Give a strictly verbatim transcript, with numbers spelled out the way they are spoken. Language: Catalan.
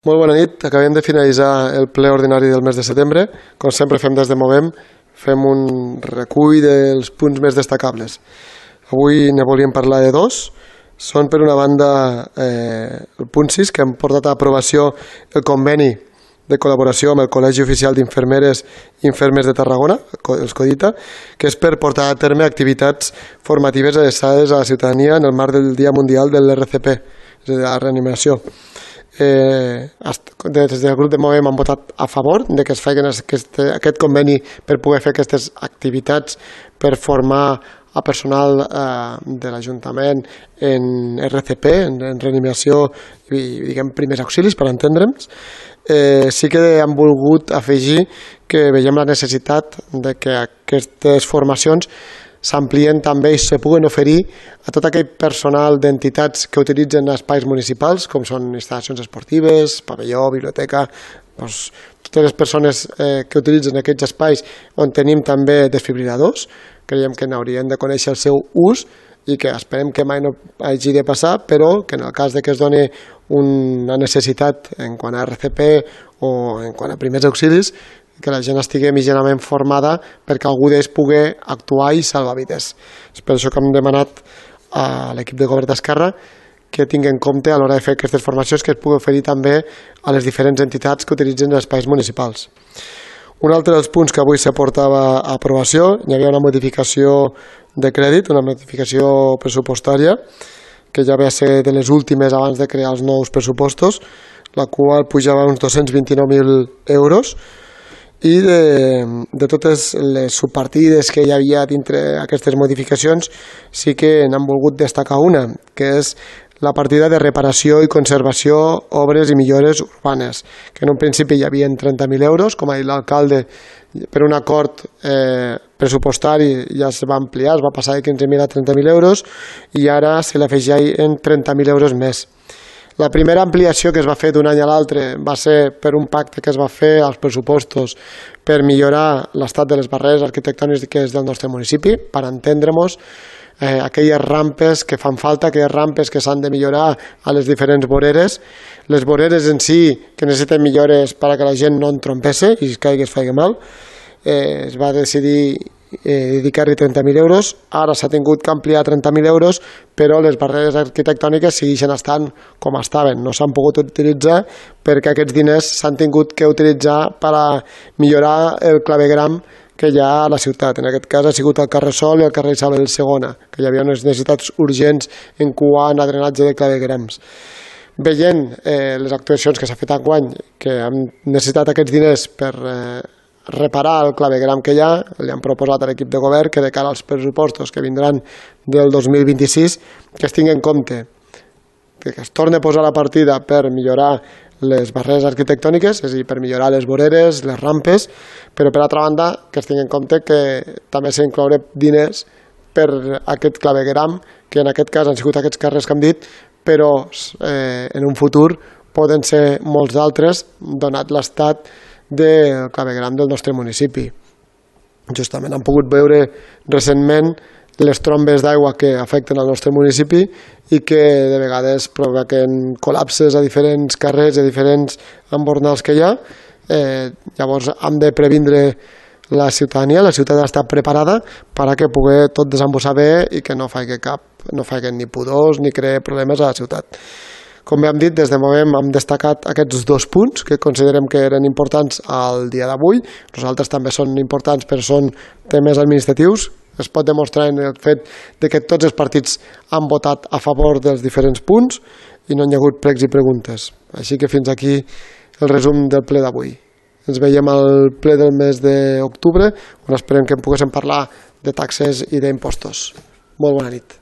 Molt bona nit. Acabem de finalitzar el ple ordinari del mes de setembre. Com sempre fem des de Movem, fem un recull dels punts més destacables. Avui ne volíem parlar de dos. Són, per una banda, eh, el punt sis, que hem portat a aprovació el conveni de col·laboració amb el Col·legi Oficial d'Infermeres i Infermers de Tarragona, els CODITA, que és per portar a terme activitats formatives adreçades a la ciutadania en el marc del Dia Mundial de l'R C P, és a dir, la reanimació. Eh, des del grup de Movem han votat a favor de que es facin aquest, aquest conveni per poder fer aquestes activitats per formar a personal eh, de l'Ajuntament en R C P, en, en reanimació i diguem primers auxilis, per entendre'ns. Eh, sí que han volgut afegir que veiem la necessitat de que aquestes formacions s'amplien també i se puguen oferir a tot aquell personal d'entitats que utilitzen espais municipals, com són instal·lacions esportives, pavelló, biblioteca, doncs, totes les persones eh, que utilitzen aquests espais on tenim també desfibriladors. Creiem que n'haurien de conèixer el seu ús i que esperem que mai no hagi de passar, però que en el cas de que es doni una necessitat en quant a R C P o en quant a primers auxilis, que la gent estigui mitjanament formada perquè algú d'ells pugui actuar i salvar vides. És per això que hem demanat a l'equip de govern d'Esquerra que tingui en compte a l'hora de fer aquestes formacions que es pugui oferir també a les diferents entitats que utilitzen els espais municipals. Un altre dels punts que avui s'aportava a aprovació, hi havia una modificació de crèdit, una modificació pressupostària, que ja ve a ser de les últimes abans de crear els nous pressupostos, la qual pujava uns dos-cents vint-i-nou mil euros, i de, de totes les subpartides que hi havia dintre aquestes modificacions sí que n'han volgut destacar una, que és la partida de reparació i conservació, obres i millores urbanes, que en un principi hi havia trenta mil euros, com ha dit l'alcalde, per un acord eh, pressupostari ja es va ampliar, es va passar de quinze mil a trenta mil euros i ara se l'afegeixen trenta mil euros més. La primera ampliació que es va fer d'un any a l'altre va ser per un pacte que es va fer als pressupostos per millorar l'estat de les barreres arquitectòniques del nostre municipi, per entendre-nos, eh, aquelles rampes que fan falta, aquelles rampes que s'han de millorar a les diferents voreres, les voreres en si que necessiten millores perquè la gent no en trompesse i es caigui es faci mal. Eh, es va decidir Eh, dedicar-hi trenta mil euros, ara s'ha tingut que ampliar trenta mil euros, però les barreres arquitectòniques segueixen estant com estaven, no s'han pogut utilitzar perquè aquests diners s'han tingut que utilitzar per a millorar el clavegram que hi ha a la ciutat. En aquest cas ha sigut el carrer Sol i el carrer Isabel segona, que hi havia unes necessitats urgents en quant a drenatge de clavegrams. Veient eh, les actuacions que s'ha fet enguany, que han necessitat aquests diners per eh, reparar el clavegram que hi ha, li han proposat a l'equip de govern que de cara als pressupostos que vindran del dos mil vint-i-sis que es tingui en compte que es torni a posar la partida per millorar les barreres arquitectòniques, és a dir, per millorar les voreres, les rampes, però per altra banda que es tingui en compte que també s'ha d'incloure diners per aquest clavegram, que en aquest cas han sigut aquests carrers que hem dit, però eh, en un futur poden ser molts d'altres, donat l'estat del clavegram del nostre municipi. Justament hem pogut veure recentment les trombes d'aigua que afecten el nostre municipi i que de vegades provoquen col·lapses a diferents carrers, a diferents embornals que hi ha. Eh, llavors hem de previndre la ciutadania, la ciutat està preparada perquè pugui tot desembossar bé i que no faci cap, no faci ni pudors ni creï problemes a la ciutat. Com bé hem dit, des de Movem hem destacat aquests dos punts que considerem que eren importants al dia d'avui. Nosaltres també són importants, però són temes administratius. Es pot demostrar en el fet de que tots els partits han votat a favor dels diferents punts i no hi ha hagut pregs i preguntes. Així que fins aquí el resum del ple d'avui. Ens veiem al ple del mes d'octubre, on esperem que en poguéssim parlar de taxes i d'impostos. Molt bona nit.